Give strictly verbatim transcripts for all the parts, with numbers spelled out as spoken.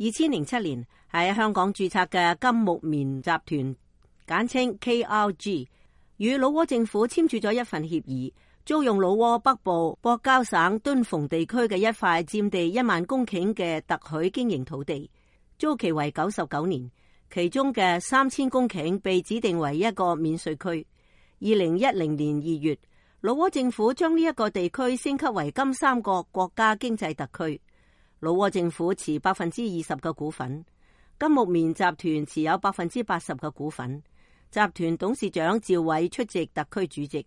二千零七年喺香港註冊嘅金木棉集團，簡稱 K R G， 與老撾政府簽署咗一份協議，租用老撾北部博交省敦鳳地區嘅一塊佔地一萬公頃嘅特許經營土地，租期為九十九年，其中嘅三千公頃被指定為一個免稅區。二零一零年二月，老撾政府將呢一個地區升級為金三角國家經濟特區。老撾政府持百分之二十嘅股份，金木棉集團持有百分之八十嘅股份。集團董事長趙偉出席特區主席。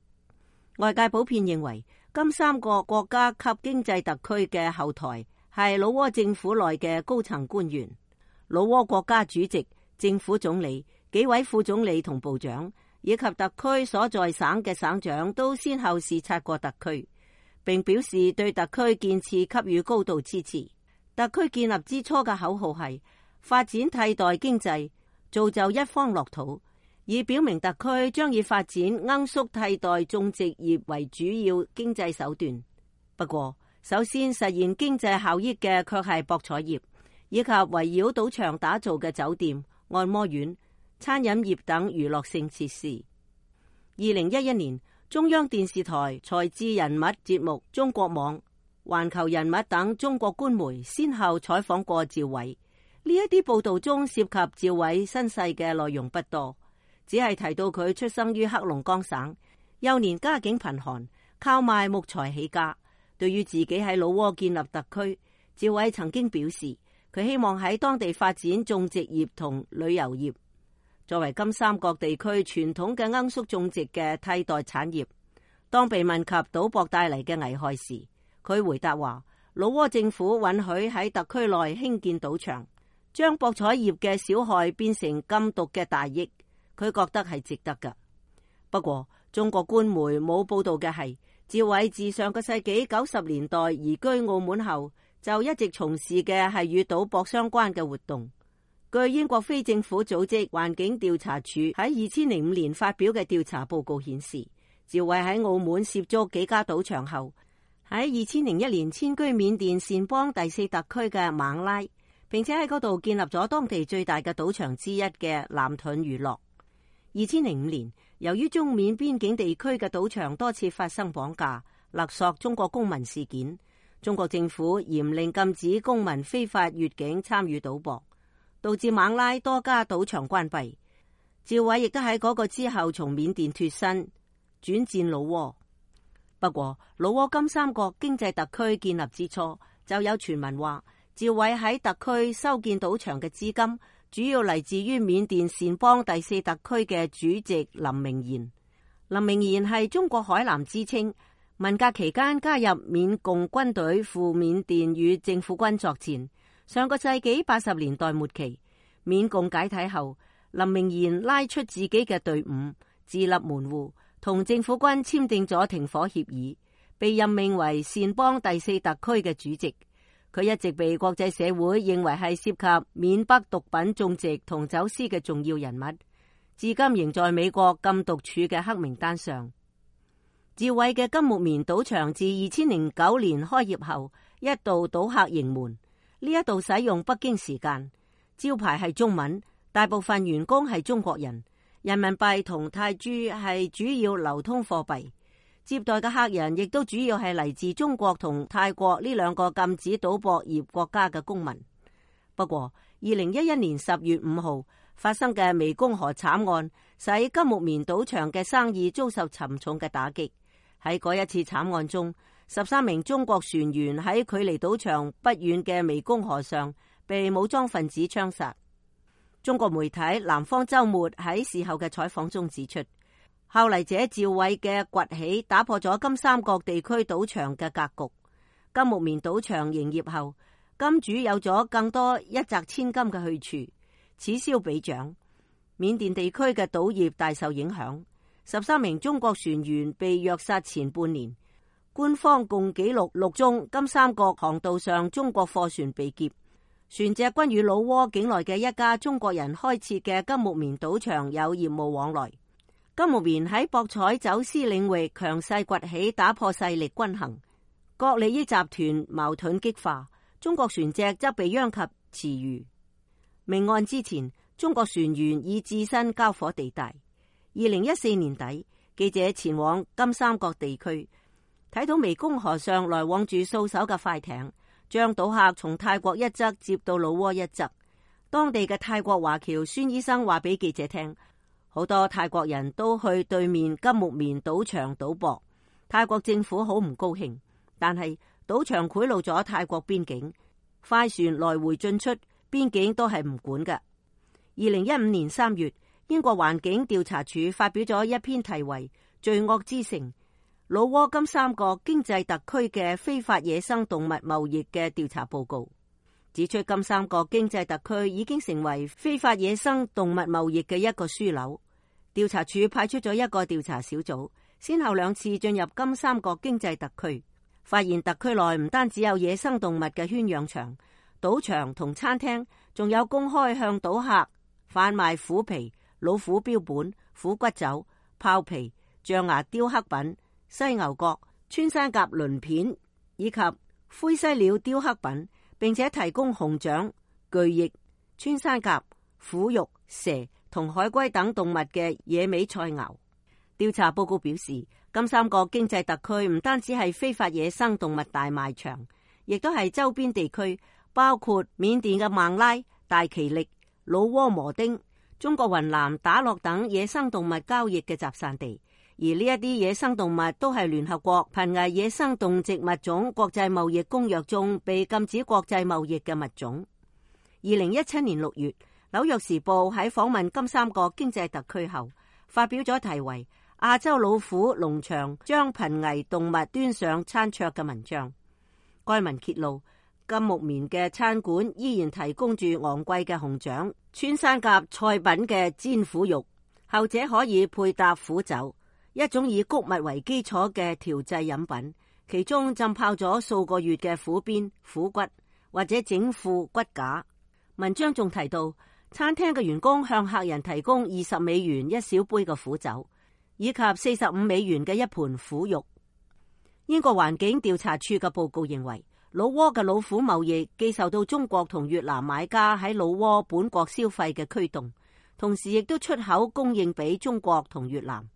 外界普遍認為，金三角國家級經濟特區嘅後台係老撾政府內嘅高層官員。老撾國家主席、政府總理、幾位副總理同部長，以及特區所在省嘅省長都先後視察過特區，並表示對特區建設給予高度支持。特區建立之初嘅口號係發展替代經濟，造就一方樂土，以表明特區將以發展罌粟替代種植業為主要經濟手段。不過，首先實現經濟效益嘅卻係博彩業，以及圍繞賭場打造嘅酒店、按摩院、餐飲業等娛樂性設施。二零一一年，中央電視台才智人物節目、中國網、環球人物等中國官媒先後採訪過趙偉，呢一啲報道中涉及趙偉身世嘅內容不多，只係提到佢出生於黑龍江省，幼年家境貧寒，靠賣木材起家。對於自己喺老撾建立特區，趙偉曾經表示，佢希望喺當地發展種植業同旅遊業，作為金三角地區傳統嘅罌粟種植嘅替代產業。當被問及賭博帶嚟嘅危害時，佢回答話，老撾政府允許喺特區內興建賭場，將博彩業嘅小害變成禁毒嘅大益，佢覺得係值得㗎。不過，中國官媒冇報道嘅係，趙偉自上個世紀九十年代移居澳門後，就一直從事嘅係與賭博相關嘅活動。據英國非政府組織環境調查署喺二千零五年發表嘅調查報告顯示，趙偉喺澳門涉足幾家賭場後，喺二千零一年遷居緬甸撣邦第四特區嘅孟拉，並且喺嗰度建立咗當地最大嘅賭場之一嘅藍盾娛樂。二千零五年，由於中緬邊境地區嘅賭場多次發生綁架、勒索中國公民事件，中國政府嚴令禁止公民非法越境參與賭博，導致孟拉多家賭場關閉。趙偉亦都喺嗰個之後從緬甸脫身，轉戰老撾。不過，老撾金三角經濟特區建立之初，就有傳聞話，趙偉喺特區修建賭場嘅資金，主要嚟自於緬甸撣邦第四特區嘅主席林明賢。林明賢係中國海南之稱，文革期間加入緬共軍隊赴緬甸與政府軍作戰。上個世紀八十年代末期，緬共解體後，林明賢拉出自己嘅隊伍，自立門戶，同政府軍簽訂咗停火協議，被任命為撣邦第四特區嘅主席。佢一直被國際社會認為係涉及緬北毒品種植同走私嘅重要人物，至今仍在美國禁毒處嘅黑名單上。趙偉嘅金木棉賭場自二千零九年開業後，一度賭客盈門。呢一度使用北京時間，招牌係中文，大部分員工係中國人，人民幣同泰銖係主要流通貨幣。接待嘅客人亦都主要係嚟自中國同泰國呢兩個禁止賭博業國家嘅公民。不過，二零一一年十月五號發生嘅湄公河慘案，使金木棉賭場嘅生意遭受沉重嘅打擊。喺嗰一次慘案中，十三名中國船員喺距離賭場不遠嘅湄公河上被武裝分子槍殺。中國媒體南方周末喺事後嘅採訪中指出，後嚟者趙偉嘅崛起打破咗金三角地區賭場嘅格局。金木棉賭場營業後，金主有咗更多一擲千金嘅去處，此消彼長，緬甸地區嘅賭業大受影響。十三名中國船員被虐殺前半年，官方共記錄六宗金三角航道上中國貨船被劫，船隻均與老撾境內嘅一家中國人開設嘅金木棉賭場有業務往來。金木棉喺博彩走私領域強勢崛起，打破勢力均衡，各利益集團矛盾激化，中國船隻則被殃及池魚。命案之前，中國船員已置身交火地帶。二零一四年底，記者前往金三角地區，睇到湄公河上來往住數艘嘅快艇，將賭客從泰國一側接到老撾一側。當地嘅泰國華僑孫醫生話俾記者聽，好多泰國人都去對面金木棉賭場賭博。泰國政府好唔高興，但係賭場賄賂咗泰國邊境，快船來回進出，邊境都係唔管嘅。二零一五年三月，英國環境調查署發表咗一篇題為《罪惡之城：老撾金三角經濟特區嘅非法野生動物貿易》嘅調查報告，指出金三角經濟特區已經成為非法野生動物貿易嘅一個樞紐。調查署派出咗一個調查小組，先後兩次進入金三角經濟特區，發現特區內唔單止有野生動物嘅圈養場、賭場同餐廳，仲有公開向賭客販賣虎皮、老虎標本、虎骨酒、豹皮、象牙雕刻品、犀牛角、穿山甲鱗片以及灰犀鳥雕刻品，並且提供熊掌、巨翼、穿山甲、虎肉、蛇同海龜等動物嘅野味菜肴。調查報告表示，金三角經濟特區唔單止係非法野生動物大賣場，亦都係周邊地區，包括緬甸嘅孟拉、大其力、老撾磨丁、中國雲南打洛等野生動物交易嘅集散地。而呢一啲野生動物都係聯合國瀕危野生動植物種國際貿易公約中被禁止國際貿易嘅物種。二零一七年六月，紐約時報喺訪問金三角經濟特區後，發表咗題為《亞洲老虎農場將瀕危動物端上餐桌》嘅文章。該文揭露，金木棉嘅餐館依然提供住昂貴嘅熊掌、穿山甲菜品嘅煎虎肉，後者可以配搭虎酒，一種以穀物為基礎嘅調製飲品，其中浸泡咗數個月嘅虎鞭、虎骨或者整副骨架。文章仲提到，餐廳嘅員工向客人提供二十美元一小杯嘅苦酒，以及四十五美元嘅一盤虎肉。英國環境調查處嘅報告認為，老撾嘅老虎貿易既受到中國同越南買家喺老撾本國消費嘅驅動，同時亦都出口供應俾中國同越南。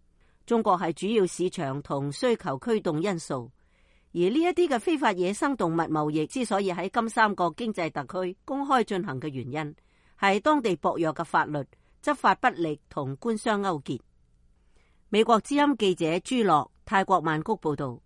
中國係主要市場同需求驅動因素，而呢一啲嘅非法野生動物貿易之所以喺金三角經濟特區公開進行嘅原因，係當地薄弱嘅法律、執法不力同官商勾結。美國之音記者朱樂，泰國曼谷報道。